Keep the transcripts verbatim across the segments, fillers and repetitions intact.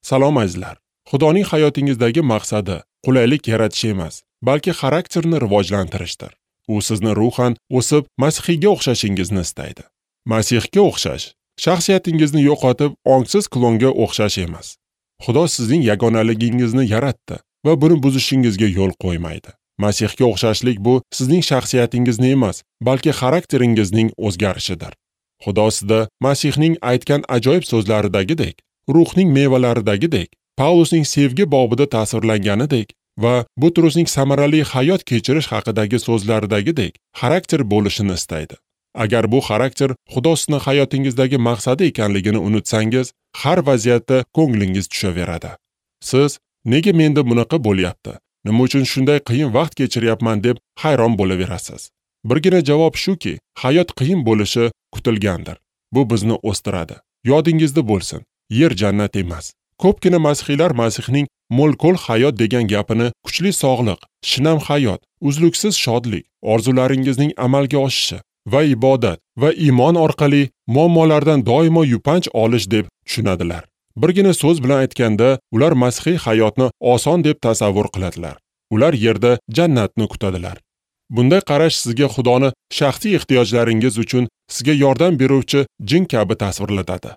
Salom azizlar. Xudoning hayotingizdagi maqsadi qulaylik yaratish emas, balki xarakterni rivojlantirishdir. U sizni ruhan o'sib, Masihga o'xshashingizni istaydi. Masihga o'xshash, shaxsiyatingizni yo'qotib, ongsiz klonga o'xshash emas. Xudo sizning yagonaligingizni yaratdi va buni buzishingizga yo'l qo'ymaydi. Masihga o'xshashlik bu sizning shaxsiyatingizni emas, balki xarakteringizning o'zgarishidir. Xudo sizda Masihning aytgan ajoyib so'zlaridagidek, ruhning mevalaridagidek, Pavlusning sevgi bobida tasvirlanganidek va Butrusning samarali hayot kechirish haqidagi so'zlaridagidek xarakter bo'lishini istaydi. Agar bu xarakter Xudo sizni hayotingizdagi maqsadi ekanligini unutsangiz, har vaziyatda ko'nglingiz tushaveradi. Siz nega menda bunaqa bo'lyapti? Nima uchun shunday qiyin vaqt kechiryapman deb hayron bo'laverasiz. Birgina javob shuki, hayot qiyin bo'lishi kutilgandir. Bu bizni o'stiradi. Yodingizda bo'lsin, yer jannat emas. Ko'pgina masihiylar Masihning mo'l-ko'l hayot degan gapini kuchli sog'liq, shinam hayot, uzluksiz shodlik, orzularingizning amalga oshishi va ibodat va iymon orqali muammolardan doimo yupanch olish deb tushunadilar. Birgina so'z bilan aytganda, ular masihiy hayotni oson deb tasavvur qiladilar. Ular yerda jannatni kutadilar. Bunday qarash sizga Xudoni shaxsiy ehtiyojlaringiz uchun sizga yordam beruvchi jin kabi tasvirlatadi.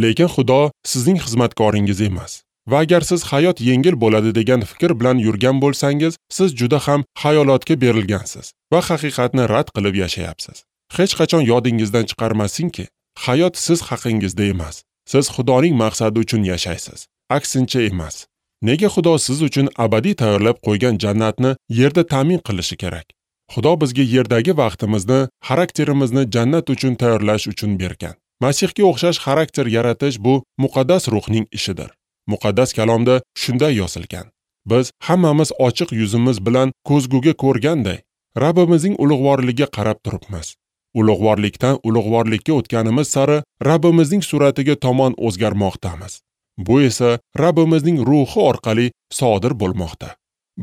Lekin Xudo sizning xizmatkoringiz emas. Va agar siz hayot yengil bo'ladi degan fikr bilan yurgan bo'lsangiz, siz juda ham xayolotga berilgansiz va haqiqatni rad qilib yashayapsiz. Hech qachon yodingizdan chiqarmasinki, hayot siz haqingizda emas. Siz Xudoning maqsadi uchun yashaysiz, aksincha emas. Nega Xudo siz uchun abadiy tayyorlab qo'ygan jannatni yerda ta'min qilishi kerak? Xudo bizga yerdagi vaqtimizni, xarakterimizni jannat uchun tayyorlash uchun bergan. Masihga o'xshash xarakter yaratish bu muqaddas ruhning ishidir. Muqaddas kalomda shunday yozilgan: Biz hammamiz ochiq yuzimiz bilan ko'zguga ko'rganday Rabbimizning ulug'vorligiga qarab turibmiz. Ulug'vorlikdan ulug'vorlikka o'tganimiz sari Rabbimizning suratiga tomon o'zgarmoqdamiz. Bu esa Rabbimizning ruhi orqali sodir bo'lmoqda.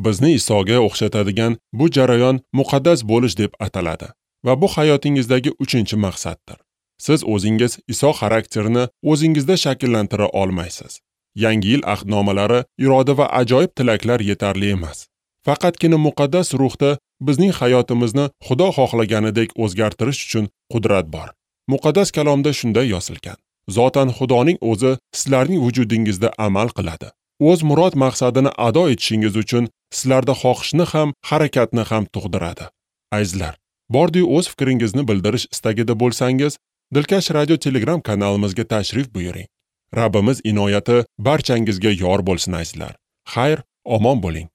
Bizni Isoga o'xshatadigan bu jarayon muqaddas bo'lish deb ataladi va bu hayotingizdagi uchinchi maqsaddir. Siz o'zingiz Iso xarakterini o'zingizda shakllantira olmaysiz. Yangi yil ahdnomalari, iroda va ajoyib tilaklar yetarli emas. Faqatgina muqaddas ruhda bizning hayotimizni Xudo xohlaganidek o'zgartirish uchun qudrat bor. Muqaddas kalomda shunday yozilgan: Zotan Xudoning o'zi sizlarning vujudingizda amal qiladi. O'z murod maqsadini ado etishingiz uchun sizlarda xohishni ham, harakatni ham tug'diradi. Azizlar, bordi-yu o'z fikringizni bildirish istagida bo'lsangiz, Dilkash Radio Telegram kanalimizga tashrif buyuring. Rabbimiz inoyati barchangizga yor bo'lsin azizlar. Xayr, omon bo'ling.